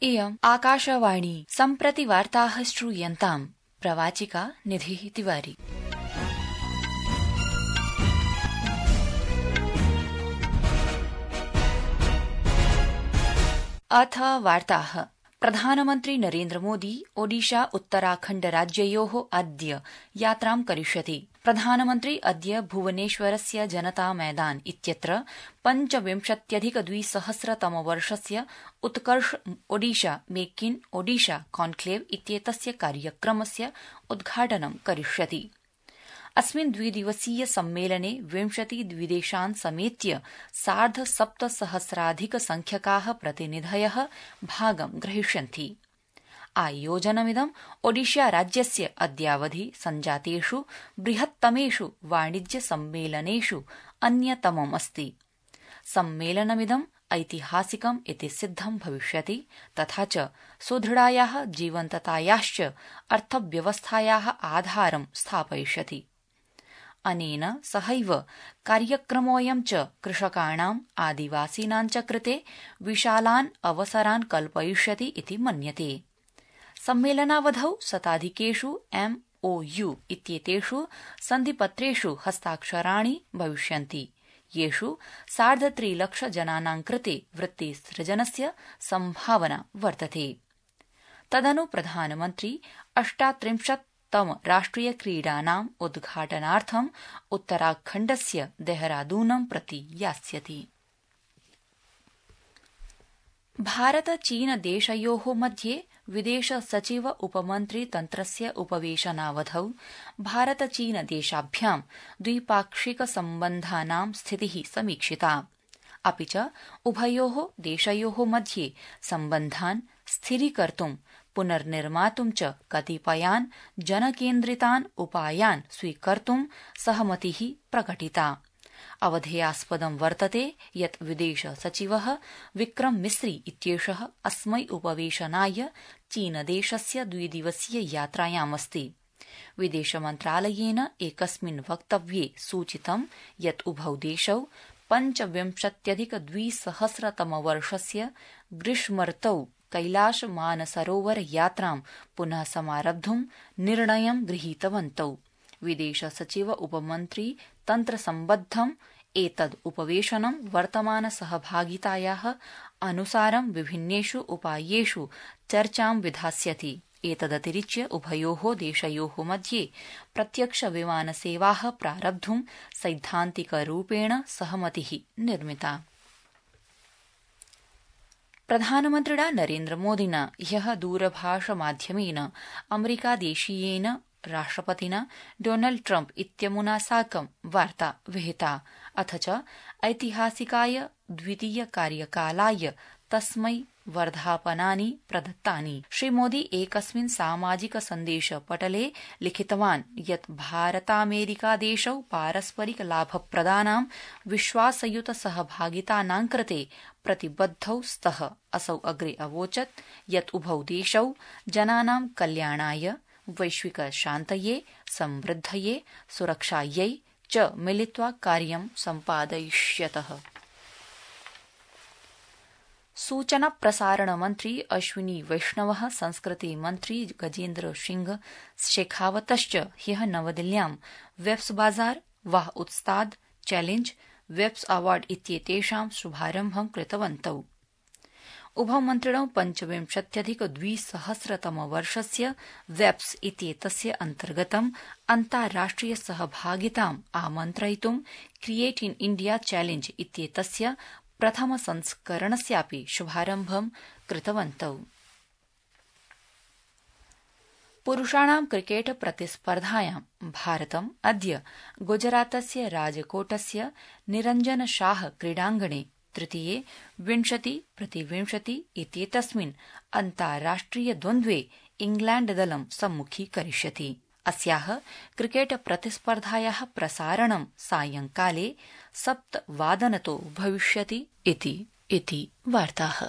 इयम् आकाशवाणी सम्प्रति वार्ताः श्रूयन्ताम् प्रवाचिका निधिः तिवारी। अथ वार्ताः। प्रधानमन्त्री नरेन्द्र मोदी ओडिशा उत्तराखण्ड राज्ययोः अद्य यात्रां करिष्यति। प्रधानमन्त्री अद्य भुवनेश्वरस्य जनता मैदान इत्यत्र 25,200 उत्कर्ष Odisha make in Odisha conclave इत्येतस्य कार्यक्रमस्य उद्घाटनं करिष्यति। अस्मिन् द्विदिवसीय सम्मेलने 20 विदेशान् समेत्य 7,500 प्रतिनिधयः भागं ग्रहीष्यन्ति। आयोजनमिदं ओडिशा राज्यस्य अद्यावधि सञ्जातेषु बृहत्तमेषु वाणिज्य सम्मेलनेषु अन्यतमम् अस्ति। सम्मेलनमिदं ऐतिहासिकम् इति सिद्धं भविष्यति तथा च सुदृढायाः जीवन्ततायाश्च अर्थव्यवस्थायाः आधारं स्थापयिष्यति। अनेन सहैव कार्यक्रमोऽयं च कृषकाणाम् आदिवासीनां च कृते विशालान् अवसरान् कल्पयिष्यति इति मन्यते। सम्मेलनावधौ शताधिकेषु MOU इत्येतेषु सन्धिपत्रेषु हस्ताक्षराणि भविष्यन्ति, येषु 3.5 लाख जनानां कृते वृत्तिसृजनस्य सम्भावना वर्तते। तदनु प्रधानमन्त्री 38तम राष्ट्रिय क्रीडानाम् उद्घाटनार्थम् उत्तराखण्डस्य देहरादूनं प्रति यास्यति। भारत चीन देशयोः मध्ये विदेश सचिव उपमन्त्री तन्त्रस्य उपवेशनावधौ भारत चीन देशाभ्यां द्विपाक्षिक सम्बन्धानां स्थितिः समीक्षिता। अपि च उभयोः देशयोः मध्ये सम्बन्धान् स्थिरीकर्तुं पुनर्निर्मातुं च कतिपयान् जनकेन्द्रितान् उपायान् स्वीकर्तुं सहमतिः प्रकटिता। अवधेयास्पदं वर्तते यत् विदेश सचिवः विक्रम मिस्री इत्येषः अस्मै उपवेशनाय चीनदेशस्य द्विदिवसीय यात्रायामस्ति। विदेशमन्त्रालयेन एकस्मिन् वक्तव्ये सूचितं यत् उभौ देशौ 25,200 ग्रीष्मर्तौ कैलाश मानसरोवर यात्रां पुनः समारब्धुं निर्णयं गृहीतवन्तौ। विदेश सचिव उपमन्त्री तन्त्रसम्बद्धम् एतद् उपवेशनं वर्तमान सहभागितायाः अनुसारं विभिन्नेषु उपायेषु चर्चां विधास्यति। एतदतिरिच्य उभयोः देशयोः मध्ये प्रत्यक्ष विमानसेवाः प्रारब्धुं सैद्धान्तिकरूपेण सहमतिः निर्मिता। प्रधानमन्त्रिणा नरेन्द्र मोदिना ह्यः दूरभाषमाध्यमेन अमेरिकादेशीयेन राष्ट्रपतिना डोनाल्ड ट्रम्प इत्यमुना साकं वार्ता विहिता, अथ च ऐतिहासिकाय द्वितीय कार्यकालाय तस्मै वर्धापनानि प्रदत्तानि। श्रीमोदी एकस्मिन् सामाजिक सन्देशपटले लिखितवान् यत् भारतामेरिकादेशौ पारस्परिक लाभप्रदानां विश्वासयुत सहभागितानां कृते प्रतिबद्धौ स्तः। असौ अग्रे अवोचत् यत् उभौ देशौ जनानां कल्याणाय, वैश्विक शान्तये, समृद्धये, सुरक्षायै च मिलित्वा कार्यं सम्पादयिष्यतः। सूचना प्रसारण मन्त्री अश्विनी वैष्णवः, संस्कृति मन्त्री गजेन्द्र सिंह शेखावतश्च ह्यः नवदिल्ल्यां वेब्स बाजार, वाह उस्ताद चैलेंज, वेब्स अवार्ड इत्येतेषां शुभारम्भं कृतवन्तौ। उभौ मन्त्रिणौ 25,200 वेब्स इत्येतस्य अन्तर्गतम् अन्ताराष्ट्रिय सहभागिताम् आमन्त्रयितुं क्रिएट इन इण्डिया चैलेंज इत्येतस्य प्रथम संस्करणस्यापि शुभारम्भं कृतवन्तौ। पुरुषाणां क्रिकेट प्रतिस्पर्धायां भारतम् अद्य गुजरातस्य राजकोटस्य निरञ्जन शाह क्रीडाङ्गणे तृतीये 20-20 इत्येतस्मिन् अन्ताराष्ट्रिय द्वन्द्वे इंग्लैण्डदलं सम्मुखीकरिष्यति। अस्याः क्रिकेट प्रतिस्पर्धायाः प्रसारणं सायंकाले 7:00 भविष्यति इति वार्ताः।